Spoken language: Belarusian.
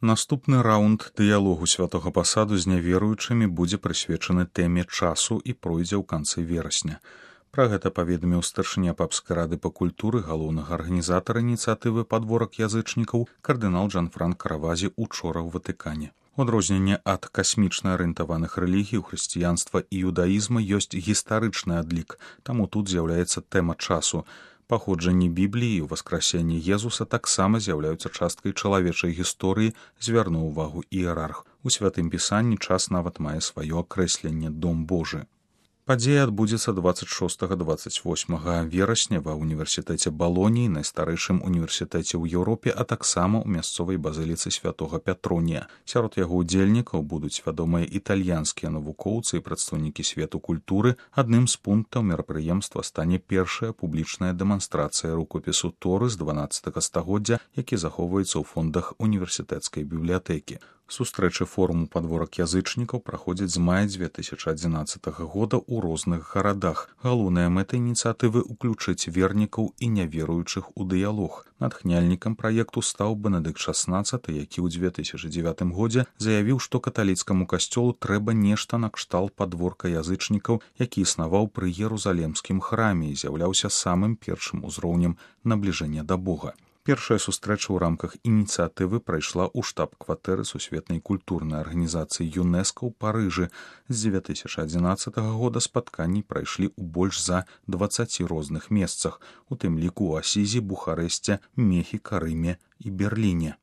Наступны раунд дыялогу святога пасаду з няверуючымі будзе прысвечаны тэме часу і пройдзе ў канцы верасня. Пра гэта паведаміў старшыня папскай рады па культуры галоўнага арганізатара ініцыятывы «Падворак язычнікаў» кардынал Джанфранко Равазі учора ў Ватыкане. У адрозненне ад касмічна арыентаваных рэлігій у хрысціянства і юдаізма ёсць гістарычны адлік, таму тут з'яўляецца тэма часу. Паходжанне Бібліі і ўваскрасенне Езуса таксама з'яўляюцца часткай чалавечай гісторыі, звярнуў увагу іерарх. У святым пісанні час нават мае сваё акрэсленне «Дом Божы». Падзея адбудзецца 26-28 верасня ва ўніверсітэце Балоніі, найстарэйшым універсітэце ў Еўропе, а таксама ў мясцовай базыліцы святога Пятронія. Сярод яго ўдзельнікаў будуць вядомыя італьянскія навукоўцы і прадстаўнікі свету культуры. Адным з пунктаў мерапрыемства стане першая публічная дэманстрацыя рукопісу Торы з 12 стагоддзя, які захоўваецца ў фондах універсітэцкай бібліятэкі. Сустрэчы форуму «Падворак язычнікаў» праходзяць з мая 2011 года ў розных гарадах. Галоўная мэта ініцыятывы – уключыць вернікаў і няверуючых у дыялог. Натхняльнікам праекту стаў Бенедыкт XVI, які ў 2009 годзе заявіў, што каталіцкаму касцёлу трэба нешта накшталт падворка язычнікаў, які існаваў пры Ерусалемскім храме і з'яўляўся самым першым узроўнем набліжэння да Бога. Першая сустрэча ў рамках ініцыятывы прайшла ў штаб-кватэры сусветнай культурнай арганізацыі ЮНЕСКО ў Парыжы. З 2011 года спатканні прайшлі ў больш за 20 розных месцах, у тым ліку ў Асізі, Бухарэсце, Мехіка, Рыме і Берліне.